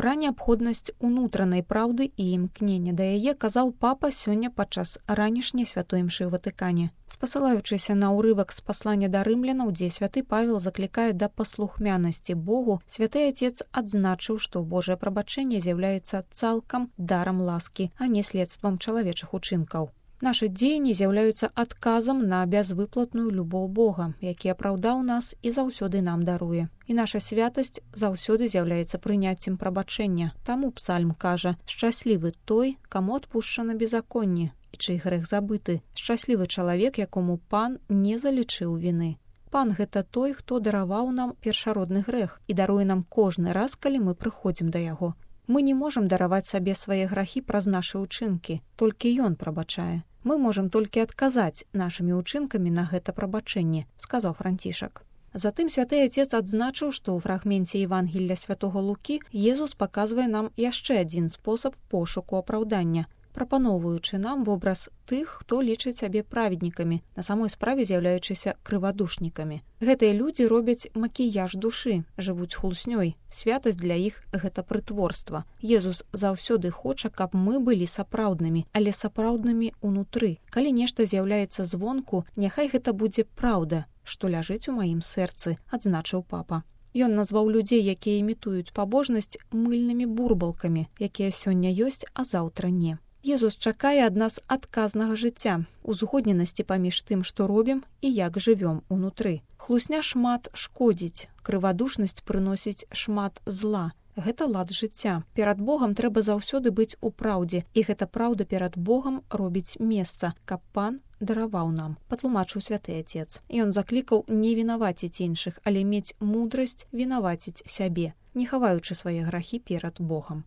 Пра неабходнасць унутранай праўды і імкнення да яе казаў папа сёння падчас ранішняй святой імшы ў Ватыкане. Спасылаючыся на ўрывак з паслання да рымлянаў, дзе святы Павел заклікае да паслухмянасці Богу, святы Отец адзначыў, што Божае прабачэнне з'яўляецца цалкам дарам ласкі, а не следствам чалавечых учынкаў. Нашы дзеянні з'яўляюцца адказам на бязвыплатную любоў Бога, які апраўдаў нас і заўсёды нам даруе. І наша святасць заўсёды з'яўляецца прыняццем прабачэння. Таму псальм кажа: «Шчаслівы той, каму адпушчана беззаконне, і чый грэх забыты. Шчаслівы чалавек, якому пан не залічыў віны». Пан – гэта той, хто дараваў нам першародны грэх і даруе нам кожны раз, калі мы прыходзім да яго. Мы не можам дараваць сабе свае грахі праз нашы ўчынкі, толькі ён прабачае. Мы можам толькі адказаць нашымі ўчынкамі на гэта прабачэнне, сказаў Францішак. Затым святы Отец адзначыў, што ў фрагменце Евангелля святого Лукі Езус паказвае нам яшчэ адзін спосаб пошуку апраўдання, прапаноўваючы нам вобраз тых, хто лічыць сябе праведнікамі, на самой справе з'яўляючыся крывадушнікамі. Гэтыя людзі робяць макіяж душы, жывуць хлуснёй. Святасць для іх – гэта прытворства. Езус заўсёды хоча, каб мы былі сапраўднымі, але сапраўднымі ўнутры. Калі нешта з'яўляецца звонку, няхай гэта будзе праўда, што ляжыць у маім сэрцы, адзначыў папа. Ён назваў людзей, якія імітуюць пабожнасць, мыльнымі бурбалкамі, якія сёння ёсць, а заўтра не. Езус чакае ад нас адказнага жыцця, узгодненасці паміж тым, што робім і як жывём унутры. Хлусня шмат шкодзіць, крывадушнасць прыносіць шмат зла. Гэта лад жыцця. Перад Богам трэба заўсёды быць у праўдзе, і гэта праўда перад Богам робіць месца, каб пан дараваў нам, патлумачыў святы Отец. Ён заклікаў не вінаваціць іншых, але мець мудрасць вінаваціць сябе, не хаваючы свае грахі перад Богам.